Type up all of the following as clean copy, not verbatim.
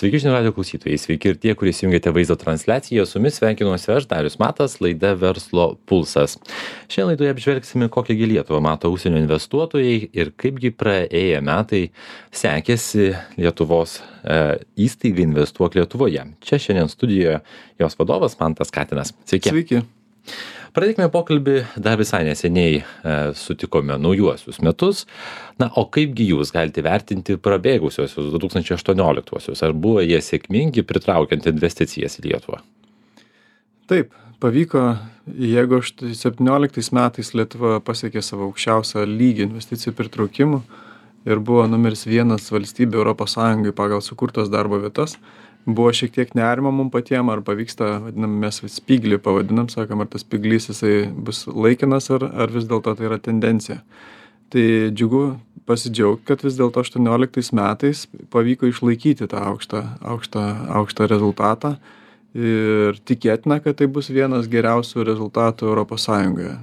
Sveiki žinių radijo klausytojai, sveiki ir tie, kurie įsijungėte vaizdo transliaciją. Su jumis sveikinuosi aš, Darius Matas, laida Verslo pulsas. Šiandien laidoje apžvelgsime, kokią Lietuvą mato užsienio investuotojai ir kaipgi praėję metai sekėsi Lietuvos įstaigai Investuok Lietuvoje. Čia šiandien studijoje jos vadovas Mantas Katinas. Sveiki. Sveiki. Pradėkime pokalbį, dar visai neseniai sutikome naujuosius metus. Na, o kaipgi jūs galite vertinti prabėgusiosius 2018-uosius? Ar buvo jie sėkmingi pritraukiant investicijas į Lietuvą? Taip, pavyko, jeigu 17 metais Lietuva pasiekė savo aukščiausią lygį investicijų pritraukimų ir buvo numeris 1 valstybė Europos Sąjungai pagal sukurtas darbo vietas, buvo šiek tiek nerimo mum patiem, ar pavyksta, vadinam, mes spyglį pavadinam, sakom, ar tas spyglys jisai bus laikinas, ar vis dėlto tai yra tendencija. Tai džiugu pasidžiaugti, kad vis dėlto 18 metais pavyko išlaikyti tą aukštą rezultatą ir tikėtina, kad tai bus vienas geriausių rezultatų Europos Sąjungoje.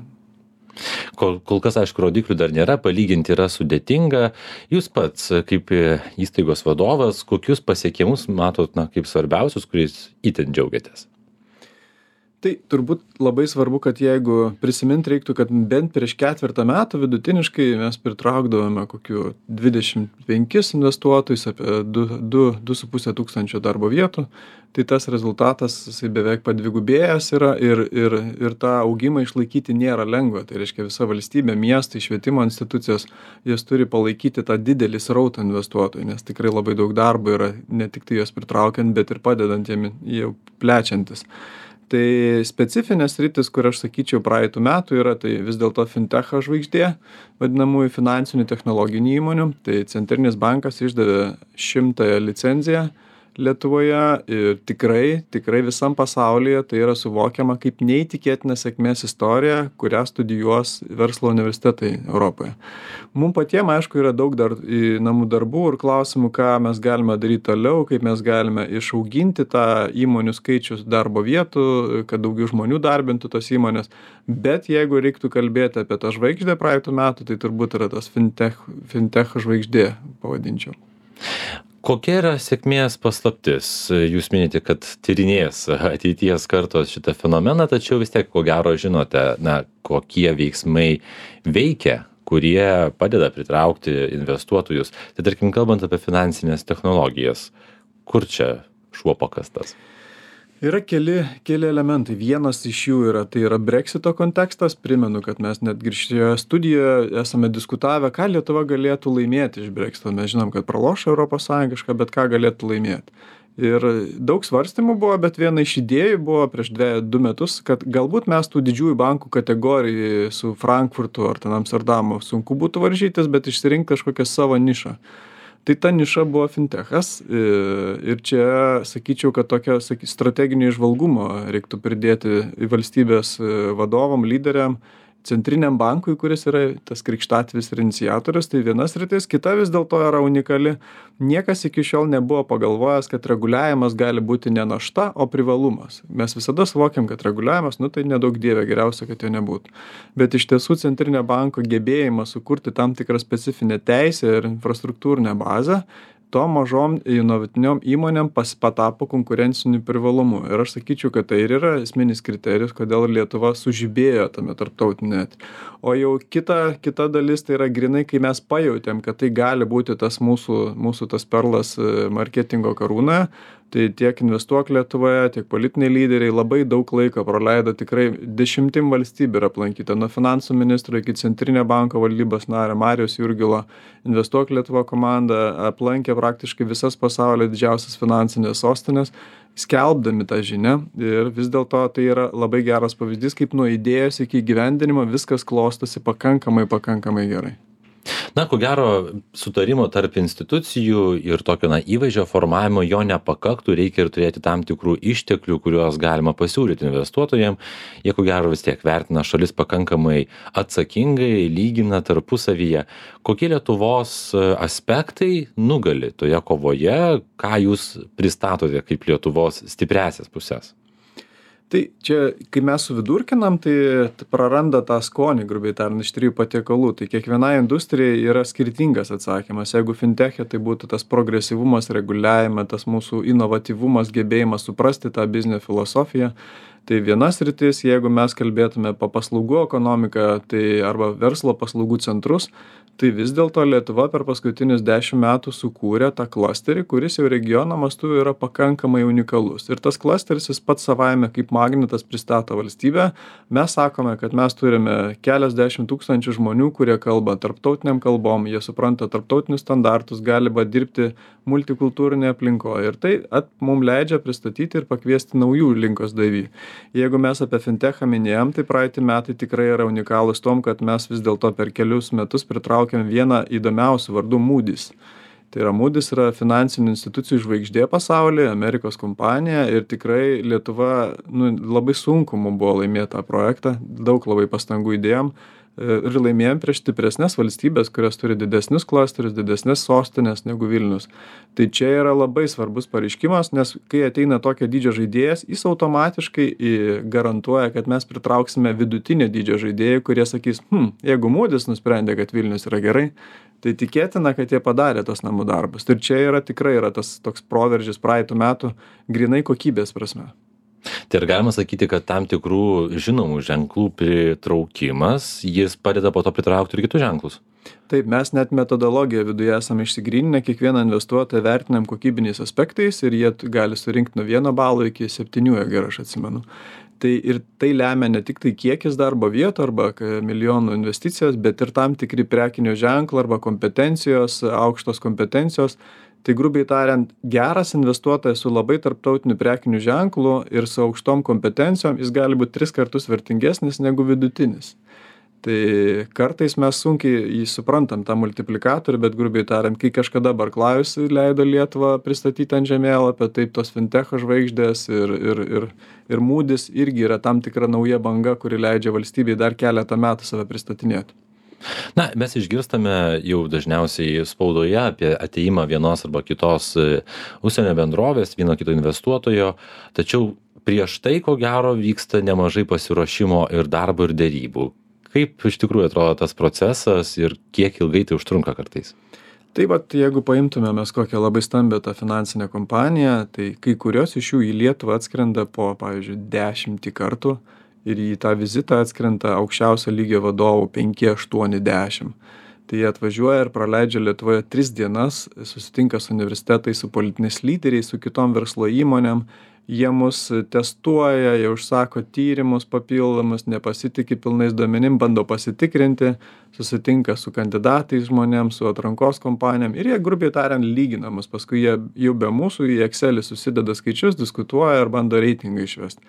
Kol kas, aišku, rodiklių dar nėra, palyginti yra sudėtinga. Jūs pats, kaip įstaigos vadovas, kokius pasiekimus matot, kaip svarbiausius, kuriais itin džiaugiatės? Tai turbūt labai svarbu, kad jeigu prisimint reiktų, kad bent prieš 4 metų vidutiniškai mes pritraukdavome kokių 25 investuotojus, apie 2,5 tūkstančio darbo vietų, tai tas rezultatas jisai beveik padvigubėjęs yra ir tą augimą išlaikyti nėra lengva. Tai reiškia visa valstybė, miestai, švietimo institucijos, jos turi palaikyti tą didelį srautą investuotojų, nes tikrai labai daug darbo yra ne tik tai juos pritraukiant, bet ir padedant jiem jau plečiantis. Tai specifinės sritis, kur aš sakyčiau praeitų metų yra, tai vis dėlto fintecho žvaigždė, vadinamųjų finansinių technologinių įmonių. Tai Centrinis bankas išdavė 100 licenciją Lietuvoje ir tikrai visam pasaulyje tai yra suvokiama kaip neįtikėtina sėkmės istorija, kurią studijuos verslo universitetai Europoje. Mums patiems, aišku, yra daug dar namų darbų ir klausimų, ką mes galime daryti toliau, kaip mes galime išauginti tą įmonių skaičius darbo vietų, kad daugiau žmonių darbintų tos įmonės. Bet jeigu reiktų kalbėti apie tą žvaigždę praeitų metų, tai turbūt yra tas fintech žvaigždė, pavadinčiau. Kokia yra sėkmės paslaptis? Jūs minite, kad tyrinės ateities kartos šitą fenomeną, tačiau vis tiek, ko gero, žinote, kokie veiksmai veikia, kurie padeda pritraukti investuotojus. Tai tarkim, kalbant apie finansinės technologijas, kur čia šuo pakastas? Yra keli elementai. Vienas iš jų yra Brexito kontekstas. Primenu, kad mes netgi šioje studijoje esame diskutavę, ką Lietuva galėtų laimėti iš Brexito. Mes žinom, kad praloš Europos Sąjungišką, bet ką galėtų laimėti. Ir daug svarstymų buvo, bet viena iš idėjų buvo prieš 2 metus, kad galbūt mes tų didžiųjų bankų kategorijų su Frankfurtu ar ten Amsterdamu sunku būtų varžytis, bet išsirinkti kažkokią savo nišą. Tai ta niša buvo fintechas ir čia sakyčiau, kad tokio strateginio įžvalgumo reiktų pridėti į valstybės vadovam, lyderiam, Centriniam bankui, kuris yra tas krikštatvis ir iniciatorius, tai viena sritis, kita vis dėlto yra unikali. Niekas iki šiol nebuvo pagalvojęs, kad reguliavimas gali būti ne našta, o privalumas. Mes visada suvokiam, kad reguliavimas, tai nedaug dievė, geriausia, kad jo nebūtų. Bet iš tiesų Centrinio banko gebėjimas sukurti tam tikrą specifinę teisę ir infrastruktūrinę bazę, to mažom inovatiniom įmonėm patapo konkurenciniu privalumu. Ir aš sakyčiau, kad tai ir yra esminis kriterijus, kodėl Lietuva sužibėjo tame tarptautinė. O jau kita dalis tai yra grinai, kai mes pajautėm, kad tai gali būti tas mūsų tas perlas marketingo karūnoje. Tai tiek Investuok Lietuvoje, tiek politiniai lyderiai labai daug laiko praleido, tikrai 10 valstybių yra aplankyta, nuo finansų ministro iki Centrinio banko valdybos nario Marijaus Jurgilo. Investuok Lietuva komanda aplankė praktiškai visas pasaulio didžiausias finansinės sostinės, skelbdami tą žinią, ir vis dėlto tai yra labai geras pavyzdys, kaip nuo idėjos iki įgyvendinimo viskas klostosi pakankamai gerai. Ko gero, sutarimo tarp institucijų ir tokio įvaizdžio formavimo jo nepakaktų, reikia ir turėti tam tikrų išteklių, kuriuos galima pasiūlyti investuotojams. Jie, ko gero, vis tiek vertina šalis pakankamai atsakingai, lygina tarpusavyje. Kokie Lietuvos aspektai nugali toje kovoje, ką jūs pristatote kaip Lietuvos stipriasias pusės? Tai čia, kai mes suvidurkinam, tai praranda tą skonį, grubiai tariant, iš 3 patiekalų. Tai kiekvienai industrijai yra skirtingas atsakymas. Jeigu fintech'e tai būtų tas progresyvumas, reguliavime, tas mūsų inovatyvumas, gebėjimas suprasti tą biznio filosofiją, tai viena sritis, jeigu mes kalbėtume apie paslaugų ekonomiką, tai arba verslo paslaugų centrus, tai vis dėlto Lietuva per paskutinius 10 metų sukūrė tą klasterį, kuris jau regiono mastu yra pakankamai unikalus. Ir tas klasteris jis pats savaime kaip magnetas pristato valstybę. Mes sakome, kad mes turime keliasdešimt tūkstančių žmonių, kurie kalba tarptautiniam kalbom, jie supranta tarptautinius standartus, gali dirbti multikultūrinėje aplinkoje. Ir tai mums leidžia pristatyti ir pakviesti naujų rinkos dalyvių. Jeigu mes apie fintechą minėjom, tai praeiti metai tikrai yra unikalūs tom, kad mes vis dėlto per kelius metus pritraukėm vieną įdomiausių vardų Moody's. Tai yra Moody's yra finansinių institucijų žvaigždė pasaulyje, Amerikos kompanija ir tikrai Lietuva labai sunku mums buvo laimėti tą projektą, daug labai pastangų įdėjom ir laimėjom prieš stipresnes valstybės, kurios turi didesnius klasterius, didesnes sostinės negu Vilnius. Tai čia yra labai svarbus pareiškimas, nes kai ateina tokio dydžio žaidėjas, jis automatiškai garantuoja, kad mes pritrauksime vidutinio dydžio žaidėjų, kurie sakys, jeigu Moody's nusprendė, kad Vilnius yra gerai, tai tikėtina, kad jie padarė tos namų darbus. Ir čia tikrai yra tas toks proveržis praeitų metų grinai kokybės prasme. Tai ir galima sakyti, kad tam tikrų žinomų ženklų pritraukimas, jis padeda po to pritraukti ir kitus ženklus. Taip, mes net metodologiją viduje esame išsigryninę, kiekvieną investuotoją vertinam kokybiniais aspektais ir jie gali surinkti nuo 1 balo iki 7, jeigu aš atsimenu. Tai lemia ne tik tai kiekis darbo vietų arba milijonų investicijos, bet ir tam tikri prekinio ženklo arba kompetencijos, aukštos kompetencijos. Tai grubiai tariant, geras investuotojas su labai tarptautiniu prekiniu ženklu ir su aukštom kompetencijom, jis gali būti 3 kartus vertingesnis negu vidutinis. Tai kartais mes sunkiai jį suprantam tą multiplikatorių, bet grubiai tariant, kai kažkada Barclays leido Lietuvą pristatyti ant žemėlapio, taip tos fintech'o žvaigždės ir Moody's irgi yra tam tikra nauja banga, kuri leidžia valstybei dar keletą metų save pristatinėti. Na, mes išgirstame jau dažniausiai spaudoje apie ateimą vienos arba kitos užsienio bendrovės, vieno kito investuotojo, tačiau prieš tai, ko gero, vyksta nemažai pasiruošimo ir darbo ir derybų. Kaip iš tikrųjų atrodo tas procesas ir kiek ilgai tai užtrunka kartais? Tai jeigu paimtume mes kokią labai stambią tą finansinę kompaniją, tai kai kurios iš jų į Lietuvą atskrenda po, pavyzdžiui, 10 kartų ir į tą vizitą atskrenta aukščiausio lygio vadovų 5, 8, 10. Tai jie atvažiuoja ir praleidžia Lietuvoje 3 dienas, susitinka su universitetais, su politiniais lyderiais, su kitom verslo įmonėm. Jie mus testuoja, jie užsako tyrimus papildomus, nepasitikė pilnais duomenim, bando pasitikrinti, susitinka su kandidatais žmonėms, su atrankos kompanijom ir jie grubiai tariant lygina mus. Paskui jie jau be mūsų į Excelį susideda skaičius, diskutuoja ir bando reitingą išvesti.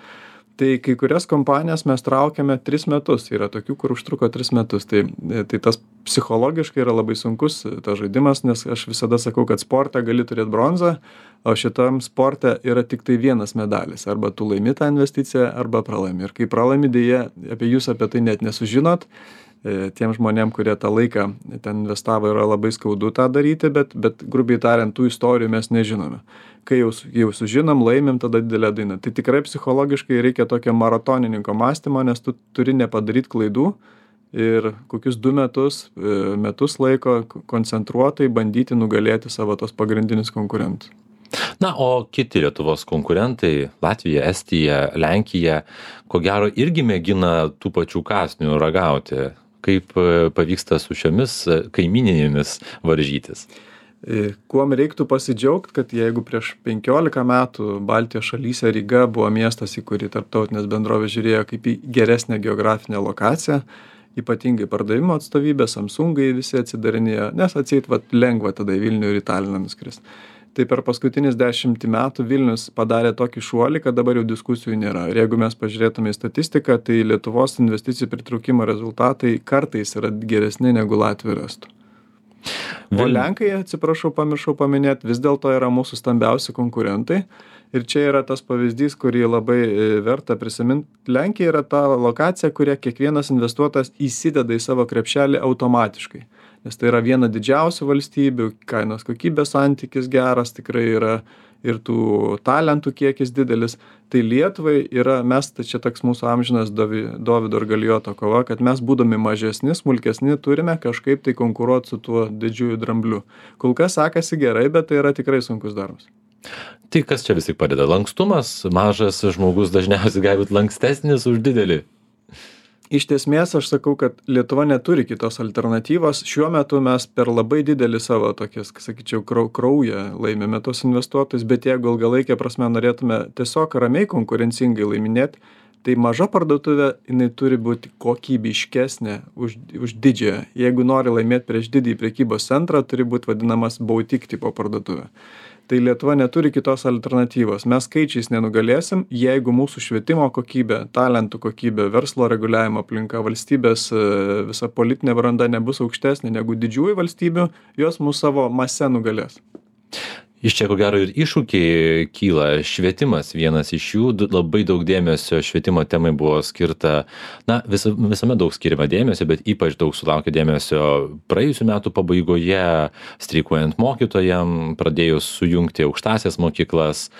Tai kai kurias kompanijas mes traukiame 3 metus, yra tokių, kur užtruko 3 metus. Tai tas psichologiškai yra labai sunkus tas žaidimas, nes aš visada sakau, kad sporte gali turėti bronzą, o šitam sporte yra tik tai vienas medalis. Arba tu laimi tą investiciją, arba pralaimi. Ir kai pralaimi, dėja, jūs apie tai net nesužinot. Tiem žmonėm, kurie tą laiką ten investavo, yra labai skaudu tą daryti, bet grubiai tariant, tų istorijų mes nežinome. Kai jau sužinom, laimim, tada didelė daina. Tai tikrai psichologiškai reikia tokio maratonininko mąstymo, nes tu turi nepadaryti klaidų ir kokius 2 metus laiko koncentruotai bandyti nugalėti savo tos pagrindinius konkurentus. Na, o kiti Lietuvos konkurentai, Latvija, Estija, Lenkija, ko gero irgi mėgina tų pačių kąsnių ragauti. Kaip pavyksta su šiomis kaimininėmis varžytis? Kuom reiktų pasidžiaugti, kad jeigu prieš 15 metų Baltijos šalyse Ryga buvo miestas, į kurį tarptautinės bendrovės žiūrėjo kaip į geresnę geografinę lokaciją, ypatingai pardavimo atstovybė, Samsungai visi atsidarinėjo, nes atseit lengva tada į Vilnių ir į Taliną nuskris. Tai per paskutinis 10 metų Vilnius padarė tokį šuolį, kad dabar jau diskusijų nėra. Ir jeigu mes pažiūrėtume į statistiką, tai Lietuvos investicijų pritraukimo rezultatai kartais yra geresni negu Latvijos ir Estų. O Lenkai, atsiprašau, pamiršau paminėti, vis dėlto yra mūsų stambiausi konkurentai. Ir čia yra tas pavyzdys, kurį labai verta prisiminti. Lenkija yra ta lokacija, kurią kiekvienas investuotojas įsideda į savo krepšelį automatiškai. Nes tai yra viena didžiausių valstybių, kainos kokybės santykis geras, tikrai yra ir tų talentų kiekis didelis. Tai Lietuvai tai čia toks mūsų amžinas Dovydo ir Galijoto kova, kad mes būdami mažesni, smulkesni, turime kažkaip tai konkuruoti su tuo didžiuoju drambliu. Kol kas sekasi gerai, bet tai yra tikrai sunkus darbas. Tai kas čia vis tik padeda? Lankstumas, mažas žmogus dažniausiai gali būti lankstesnis už didelį. Iš esmės aš sakau, kad Lietuva neturi kitos alternatyvos. Šiuo metu mes per labai didelį savo tokias, sakyčiau, kraują laimėme tos investuotojus, bet jeigu ilgalaikė prasme norėtume tiesiog ramiai konkurencingai laiminėti, tai maža parduotuvė, jinai turi būti kokybiškesnė už didžiąją. Jeigu nori laimėti prieš didįjį prekybos centrą, turi būti vadinamas boutique tipo parduotuvė. Tai Lietuva neturi kitos alternatyvos. Mes skaičiais nenugalėsim, jeigu mūsų švietimo kokybė, talentų kokybė, verslo reguliavimo aplinka, valstybės visa politinė branda nebus aukštesnė negu didžiųjų valstybių, jos mūsų savo mase nugalės. Iš čia ko gero ir iššūkiai kyla. Švietimas vienas iš jų, labai daug dėmesio švietimo temai buvo skirta, visame daug skiriama dėmesio, bet ypač daug sulaukė dėmesio praėjusių metų pabaigoje, streikuojant mokytojam, pradėjus sujungti aukštąsias mokyklas.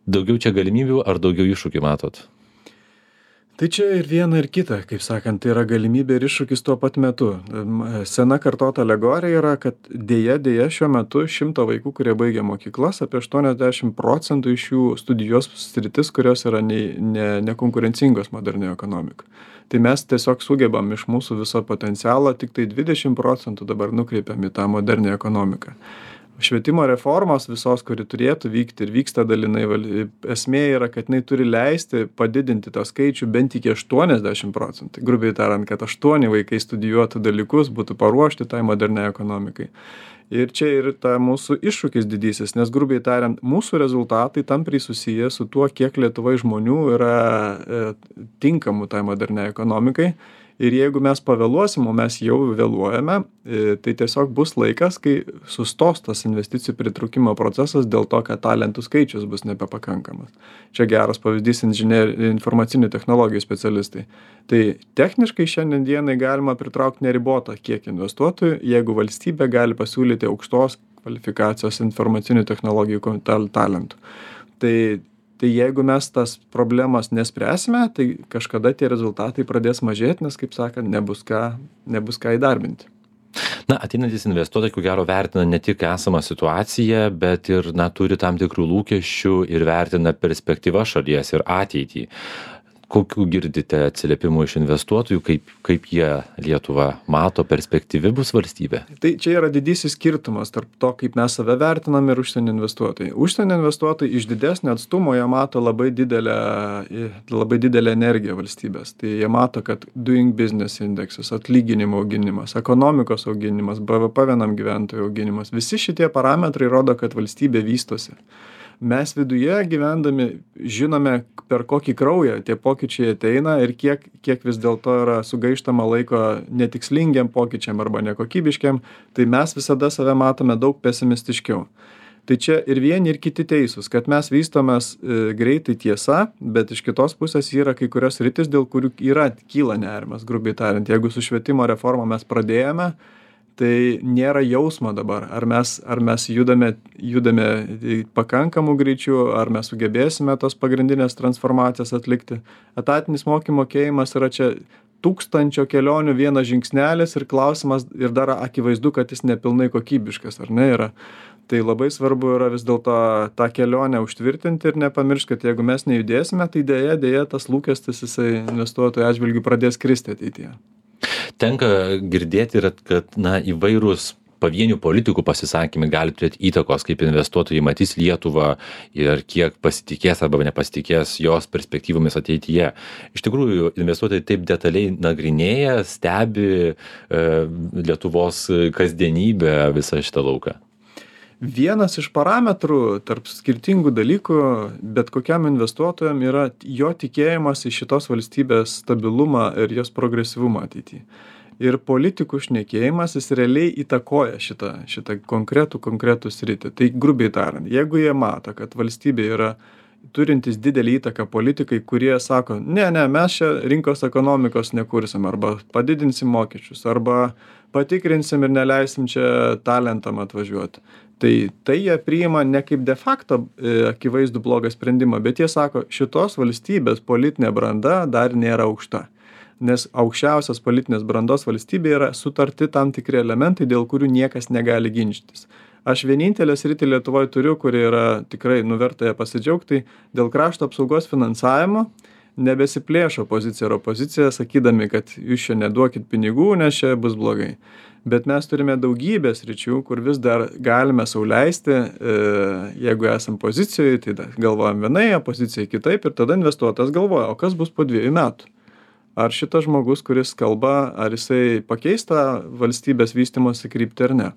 Daugiau čia galimybių ar daugiau iššūkių matot? Tai čia ir viena ir kita, kaip sakant, tai yra galimybė ir iššūkis tuo pat metu. Sena kartota alegorija yra, kad dėja šiuo metu 100 vaikų, kurie baigia mokyklas, apie 80% iš jų studijuos sritis, kurios yra nekonkurencingos modernioje ekonomikoje. Tai mes tiesiog sugebam iš mūsų viso potencialo, tik tai 20% dabar nukreipiam į tą modernią ekonomiką. Švietimo reformos visos, kuri turėtų vykti ir vyksta dalinai, esmė yra, kad jinai turi leisti padidinti tą skaičių bent iki 80%. Grubiai tariant, kad 8 vaikai studijuotų dalykus, būtų paruošti tai moderniai ekonomikai. Ir čia ir ta mūsų iššūkis didysis, nes grubiai tariant, mūsų rezultatai tampriai susiję su tuo, kiek Lietuvai žmonių yra tinkamų tai moderniai ekonomikai. Ir jeigu mes pavėluosim, o mes jau vėluojame, tai tiesiog bus laikas, kai sustos tas investicijų pritraukimo procesas dėl to, kad talentų skaičius bus nebepakankamas. Čia geras pavyzdys informacinių technologijų specialistai. Tai techniškai šiandien dienai galima pritraukti neribotą kiek investuotojų, jeigu valstybė gali pasiūlyti aukštos kvalifikacijos informacinių technologijų talentų. Tai jeigu mes tas problemas nespręsime, tai kažkada tie rezultatai pradės mažėti, nes, kaip sakant, nebus ką įdarbinti. Ateinantys investuotojai, ko gero, vertina ne tik esamą situaciją, bet ir turi tam tikrų lūkesčių ir vertina perspektyvą šalies ir ateitį. Kokių girdite atsiliepimų iš investuotojų, kaip jie Lietuvą mato, perspektyvi bus valstybė? Tai čia yra didysis skirtumas tarp to, kaip mes save vertinam ir užsienio investuotojai. Užsienio investuotojai iš didesnio atstumo jie mato labai didelę energiją valstybės. Tai jie mato, kad doing business indeksas, atlyginimo auginimas, ekonomikos auginimas, BVP vienam gyventojų auginimas. Visi šitie parametrai rodo, kad valstybė vystosi. Mes viduje gyvendami žinome, per kokį kraują tie pokyčiai ateina ir kiek vis dėlto yra sugaištama laiko netikslingiam pokyčiam arba nekokybiškiam, tai mes visada save matome daug pesimistiškiau. Tai čia ir vieni, ir kiti teisūs, kad mes vystomės greitai tiesa, bet iš kitos pusės yra kai kurios sritis, dėl kurių kyla nerimas, grubiai tariant. Jeigu su švietimo reforma mes pradėjome, tai nėra jausmo dabar, ar mes judame pakankamų greičių, ar mes sugebėsime tos pagrindinės transformacijas atlikti. Etatinis mokymo mokėjimas yra čia 1000 kelionių vienas žingsnelis ir klausimas, ir dar akivaizdu, kad jis nepilnai kokybiškas, ar ne yra. Tai labai svarbu yra vis dėlto tą kelionę užtvirtinti ir nepamiršti, kad jeigu mes nejudėsime, tai dėja tas lūkestis jisai investuotojų atžvilgių pradės kristi ateityje. Tenka girdėti, kad įvairūs pavienių politikų pasisakymai gali turėti įtakos, kaip investuotojai matys Lietuvą ir kiek pasitikės arba nepasitikės jos perspektyvomis ateityje. Iš tikrųjų, investuotojai taip detaliai nagrinėja, stebi Lietuvos kasdienybę visą šitą lauką. Vienas iš parametrų tarp skirtingų dalykų bet kokiam investuotojam yra jo tikėjimas į šitos valstybės stabilumą ir jos progresyvumą ateityje. Ir politikų šnekėjimas jis realiai įtakoja šitą konkretų sritį. Tai grubiai tariant, jeigu jie mato, kad valstybė yra turintis didelį įtaką politikai, kurie sako, ne, mes čia rinkos ekonomikos nekursim, arba padidinsim mokesčius, arba patikrinsim ir neleisim čia talentam atvažiuoti. Tai jie priima ne kaip de facto akivaizdų blogą sprendimą, bet jie sako, šitos valstybės politinė branda dar nėra aukšta. Nes aukščiausios politinės brandos valstybėje yra sutarti tam tikri elementai, dėl kurių niekas negali ginčytis. Aš vienintelę sritį Lietuvoje turiu, kuri yra tikrai nuverta ją pasidžiaugti, dėl krašto apsaugos finansavimo nebesiplėšo pozicija ir opozicija, sakydami, kad jūs čia neduokit pinigų, nes čia bus blogai. Bet mes turime daugybę sričių, kur vis dar galime sau leisti, jeigu esam pozicijoje, tai galvojam vienai, opozicijai kitaip ir tada investuotas galvoja, o kas bus po 2 metų. Ar šitas žmogus, kuris kalba, ar jisai pakeis tą valstybės vystymosi kryptį ar ne.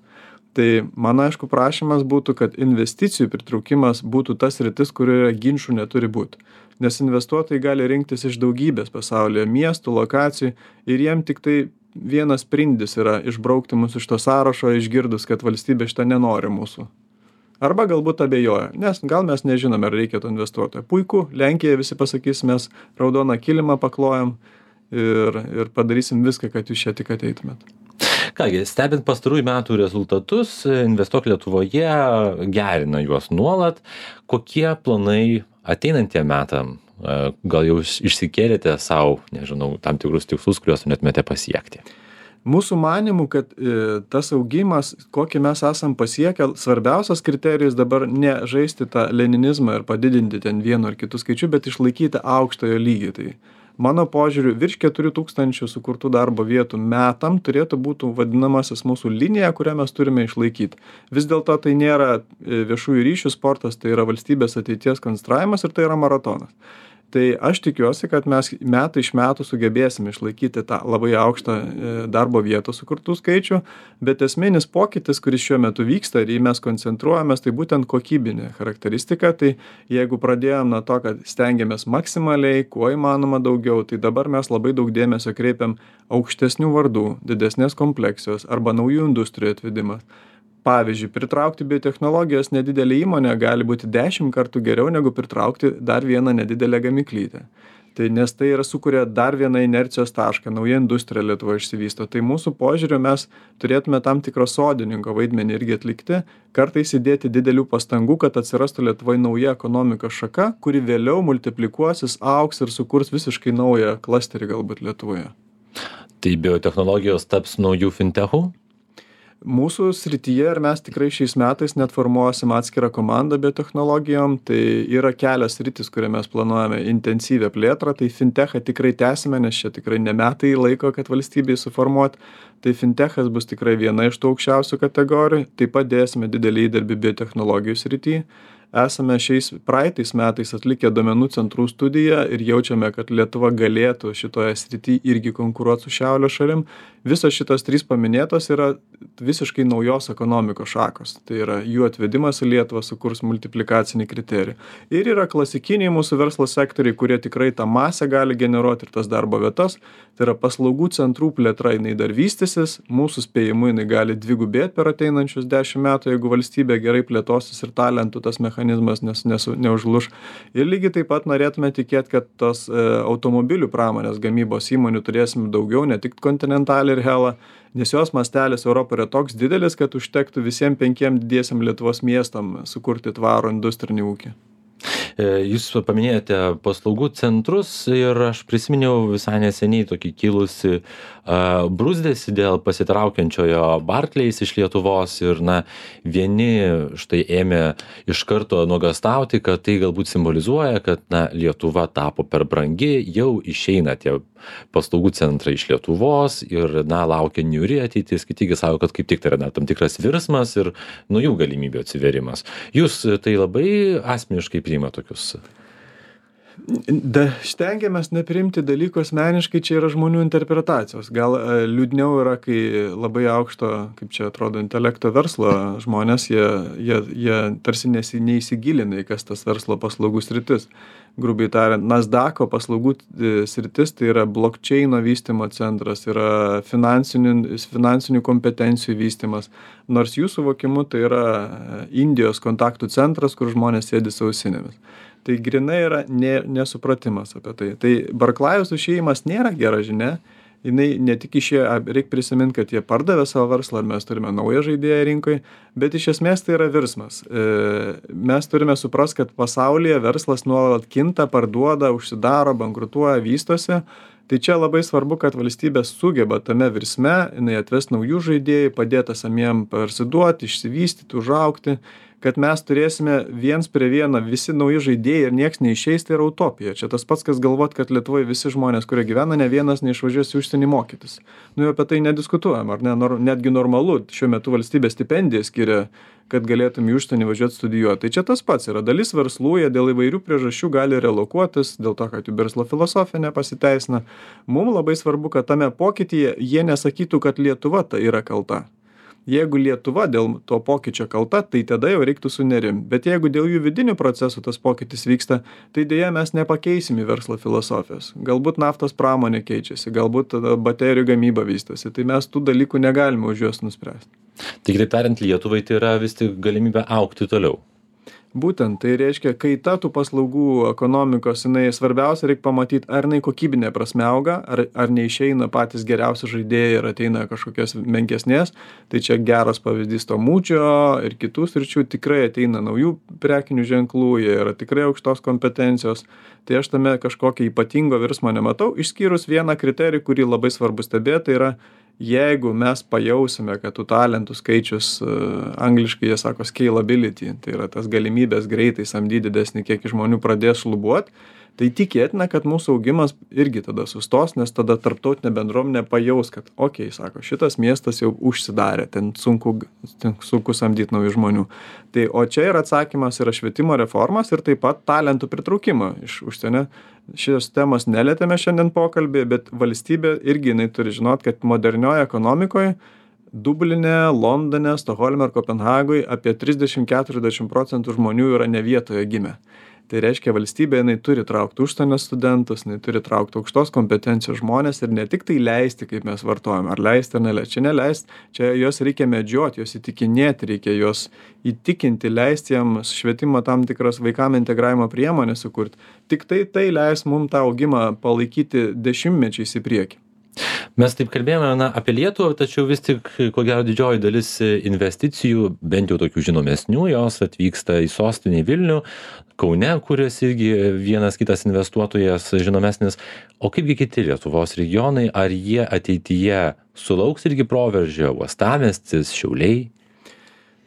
Tai mano aišku prašymas būtų, kad investicijų pritraukimas būtų tas sritis, kurioje ginčų neturi būti. Nes investuotojai gali rinktis iš daugybės pasaulyje miestų, lokacijų ir jiem tik tai vienas sprindis yra išbraukti mus iš to sąrašo, išgirdus, kad valstybė šitą nenori mūsų. Arba galbūt abejoja, nes gal mes nežinome, ar reikia to investuotojo. Puiku, Lenkija visi pasakys, mes raudoną kilimą paklojam ir padarysim viską, kad jūs čia tik ateitumėt. Kągi, stebint pastarųjų metų rezultatus, Investuok Lietuvoje gerina juos nuolat. Kokie planai ateinantiem metam? Gal jau išsikėlėte savo, nežinau, tam tikrus tikslus, kuriuos norėtumėte pasiekti? Mūsų manimų, kad tas augimas, kokį mes esam pasiekę, svarbiausias kriterijus dabar ne žaisti tą leninizmą ir padidinti ten vienu ar kitų skaičių, bet išlaikyti aukštojo lygį. Tai mano požiūriu, virš 4000 sukurtų darbo vietų metam turėtų būti vadinamasis mūsų linija, kurią mes turime išlaikyti. Vis dėlto tai nėra viešųjų ryšių sportas, tai yra valstybės ateities konstravimas ir tai yra maratonas. Tai aš tikiuosi, kad mes metai iš metų sugebėsime išlaikyti tą labai aukštą darbo vietų sukurtų skaičių, bet esminis pokytis, kuris šiuo metu vyksta ir jį mes koncentruojamės, tai būtent kokybinė charakteristika. Tai jeigu pradėjom nuo to, kad stengiamės maksimaliai, kuo įmanoma daugiau, tai dabar mes labai daug dėmesio kreipiam aukštesnių vardų, didesnės kompleksijos arba naujų industrijų atvedimas. Pavyzdžiui, pritraukti biotechnologijos nedidelę įmonę gali būti 10 kartų geriau negu pritraukti dar vieną nedidelę gamyklytę. Tai nes tai sukuria dar vieną inercijos tašką, nauja industrija Lietuvoje išsivysto. Tai mūsų požiūriu mes turėtume tam tikro sodininko vaidmenį irgi atlikti, kartais įdėti didelių pastangų, kad atsirastų Lietuvoje nauja ekonomikos šaka, kuri vėliau multiplikuosis, augs ir sukurs visiškai naują klasterį galbūt Lietuvoje. Tai biotechnologijos taps naujų fintechų? Mūsų srityje ir mes tikrai šiais metais net formuosim atskirą komandą biotechnologijom, tai yra kelios sritis, kurie mes planuojame intensyvę plėtrą, tai fintechą tikrai tęsime, nes čia tikrai ne metai laiko, kad valstybei suformuoti, tai fintechas bus tikrai viena iš tų aukščiausių kategorijų, taip pat dėsime didelį įdirbį biotechnologijų srityje. Esame praeitais metais atlikę duomenų centrų studiją ir jaučiame, kad Lietuva galėtų šitoje srityje irgi konkuruoti su šiaurės šalim. Visos šitos 3 paminėtos yra visiškai naujos ekonomikos šakos. Tai yra jų atvedimas į Lietuvą sukurs multiplikacinį kriterijų. Ir yra klasikiniai mūsų verslo sektoriai, kurie tikrai tą masę gali generuoti ir tas darbo vietas. Tai yra paslaugų centrų plėtra, jinai dar vystysis, mūsų spėjimu jinai gali dvigubėti per ateinančius 10 metų, jeigu valstybė gerai plėtosis ir talentų tas mechanizmas neužluš. Ir lygiai taip pat norėtume tikėti, kad tos automobilių pramonės gamybos įmonių turėsim daugiau, ne tik Continental ir Hella, nes jos mastelis Europoje yra toks didelis, kad užtektų visiems 5 didiesiam Lietuvos miestam sukurti tvarų industrinį ūkį. Jūs paminėjote paslaugų centrus ir aš prisiminiau visai neseniai tokį kilusi bruzdesį dėl pasitraukiančiojo Barclays iš Lietuvos ir vieni štai ėmė iš karto nuogąstauti, kad tai galbūt simbolizuoja, kad Lietuva tapo per brangi, jau išeina tie paslaugų centrai iš Lietuvos ir laukia niūri ateitis, kiti sako, kad kaip tik tai yra tam tikras virsmas ir naujų galimybių atsiverimas. Jūs tai labai asmeniškai priima tokius? Stengiamės nepriimti dalykų asmeniškai, čia yra žmonių interpretacijos. Gal liūdniau yra, kai labai aukšto, kaip čia atrodo, intelekto verslo žmonės, jie tarsi neįsigilina į kas tas verslo paslaugų sritis. Grubiai tariant, Nasdaqo paslaugų sritis tai yra blockchaino vystymo centras, yra finansinių kompetencijų vystymas, nors jų suvokimu tai yra Indijos kontaktų centras, kur žmonės sėdi su ausinėmis. Tai grinai yra nesupratimas apie tai. Tai Barclays išėjimas nėra gera žinia, jinai ne tik išėjo, reik prisimint, kad jie pardavė savo verslą, ar mes turime naują žaidėją rinkoje, bet iš esmės tai yra virsmas. Mes turime suprasti, kad pasaulyje verslas nuolat kinta, parduoda, užsidaro, bankrutuoja, vystosi. Tai čia labai svarbu, kad valstybė sugeba tame virsme, jinai atves naujų žaidėjų, padėta samiem parsiduoti, išsivystyti, užaugti, kad mes turėsime viens prie vieno visi nauji žaidėjai ir nieks neišeis, tai yra utopija. Čia tas pats, kas galvot, kad Lietuvoje visi žmonės, kurie gyvena, ne vienas neišvažiuos į užsienį mokytis. Nu, apie tai nediskutuojam, ar ne? Netgi normalu, šiuo metu valstybė stipendiją skiria, kad galėtum į užsienį važiuoti studijuoti. Tai čia tas pats yra. Dalis verslų, jie dėl įvairių priežasčių gali relokuotis, dėl to, kad jų verslo filosofija nepasiteisina. Mums labai svarbu, kad tame pokytyje jie nesakytų, kad Lietuva tai yra kalta. Jeigu Lietuva dėl to pokyčio kalta, tai tada jau reiktų sunerim. Bet jeigu dėl jų vidinių procesų tas pokytis vyksta, tai dėja mes nepakeisim į verslo filosofijos. Galbūt naftos pramonė keičiasi, galbūt baterijų gamyba vystosi. Tai mes tų dalykų negalime už juos nuspręsti. Tai kitaip tariant, Lietuvai tai yra vis tik galimybė augti toliau. Būtent, tai reiškia, kaita tų paslaugų ekonomikos, jinai svarbiausia reikia pamatyti, ar jinai kokybinė prasme auga, ar neišeina patys geriausi žaidėjai ir ateina kažkokios menkesnės. Tai čia geras pavyzdys to mūčio ir kitų sričių, tikrai ateina naujų prekinių ženklų, jie yra tikrai aukštos kompetencijos. Tai aš tame kažkokio ypatingo virsmo nematau, išskyrus vieną kriterijų, kurį labai svarbu stebėti, tai yra jeigu mes pajausime, kad tų talentų skaičius, angliškai jie sako scalability, tai yra tas galimybės greitai samdyti didesnį kiekį žmonių pradės šlubuot, tai tikėtina, kad mūsų augimas irgi tada sustos, nes tada tarptautinė bendruomenė pajaus, kad sako, šitas miestas jau užsidarė, ten sunku samdyti naujų žmonių. Tai, o čia yra atsakymas yra švietimo reformas ir taip pat talentų pritraukimo iš užsienio. Šios temos nelietėme šiandien pokalbį, bet valstybė irgi jinai turi žinot, kad modernioje ekonomikoje Dubline, Londone, Stokholme ir Kopenhagoje apie 30-40% žmonių yra ne vietoje gimę. Tai reiškia, valstybė jinai turi traukti užsienio studentus, jinai turi traukti aukštos kompetencijos žmonės ir ne tik tai leisti, kaip mes vartojame, ar leisti ar neleisti. Čia neleisti, čia juos reikia medžioti, juos įtikinėti, reikia juos įtikinti, leisti jiems švietimo tam tikras vaikam integravimo priemonės sukurti. Tik tai leis mums tą augimą palaikyti dešimtmečiais į priekį. Mes taip kalbėjome apie Lietuvą, tačiau vis tik, ko gero, didžioji dalis investicijų, bent jau tokių žinomesnių, jos atvyksta į sostinę Vilnių, Kaune, kuris irgi vienas kitas investuotojas žinomesnis. O kaipgi kiti Lietuvos regionai, ar jie ateityje sulauks irgi proveržio, Uostamiestis, Šiauliai?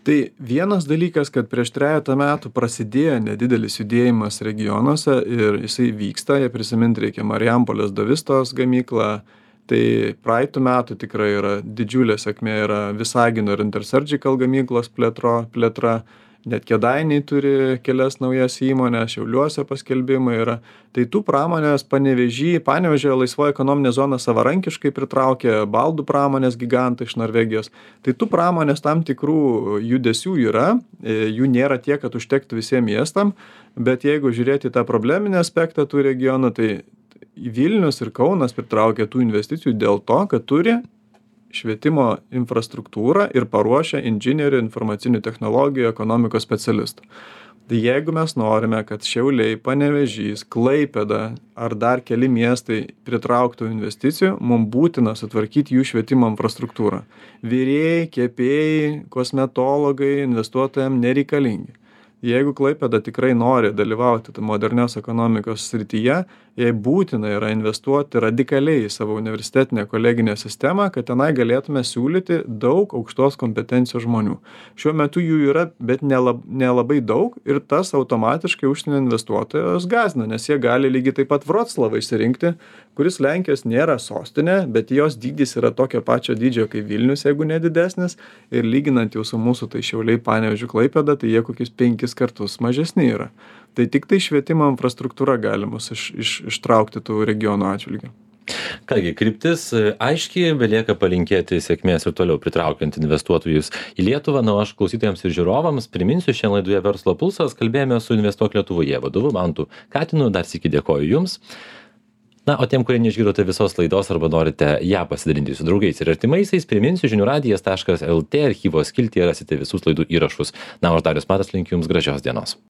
Tai vienas dalykas, kad prieš 3 metų prasidėjo nedidelis judėjimas regionuose ir jisai vyksta, jie prisiminti reikia Marijampolės Davistos gamyklą. Tai praeitų metų tikrai yra didžiulė sėkmė, yra Visagino ir Intersurgical gamyklos plėtra, net Kėdainiai turi kelias naujas įmonės, Šiauliuose paskelbimai yra. Tai tų pramonės Panevėžio laisvoji ekonominė zona savarankiškai pritraukė baldų pramonės gigantą iš Norvegijos. Tai tų pramonės tam tikrų judesių yra, jų nėra tiek, kad užtektų visiems miestam, bet jeigu žiūrėti tą probleminį aspektą tų regionų, tai Vilnius ir Kaunas pritraukia tų investicijų dėl to, kad turi švietimo infrastruktūrą ir paruošia inžinierių, informacinių technologijų, ekonomikos specialistų. Tai jeigu mes norime, kad Šiauliai, Panevėžys, Klaipėda ar dar keli miestai pritrauktų investicijų, mums būtina sutvarkyti jų švietimo infrastruktūrą. Virėjai, kepėjai, kosmetologai investuotojams nereikalingi. Jeigu Klaipėda tikrai nori dalyvauti modernios ekonomikos srityje, jai būtina yra investuoti radikaliai į savo universitetinę koleginę sistemą, kad tenai galėtume siūlyti daug aukštos kompetencijos žmonių. Šiuo metu jų yra, bet nelabai daug ir tas automatiškai užsienio investuotojus gąsdina, nes jie gali lygiai taip pat Vroclavą išsirinkti, kuris Lenkijos nėra sostinė, bet jos dydis yra tokio pačio dydžio kaip Vilnius, jeigu nedidesnis, ir lyginant jau su mūsų tai Šiauliai, Panevėžiu, Klaipėda, tai jie kokius 5 kartus mažesni yra. Tai tik tai švietimo infrastruktūra gali mus ištraukti tų regionų atžvilgių. Kągi, kryptis aiškiai, belieka palinkėti sėkmės ir toliau pritraukiant investuotojus į Lietuvą. Na, aš klausytojams ir žiūrovams priminsiu, šiandien laidoje Verslo pulsas kalbėjome su Investuok Lietuvoje vadovu Mantu Katinu. Dar sykį dėkoju Jums. Na, o tiem, kurie neišgirdote visos laidos arba norite ją pasidalinti su draugais ir artimaisiais, priminsiu žiniųradijas.lt archyvo skiltyje rasite visus laidų įrašus. Na, o aš Darius Matas linkiu Jums gražios dienos.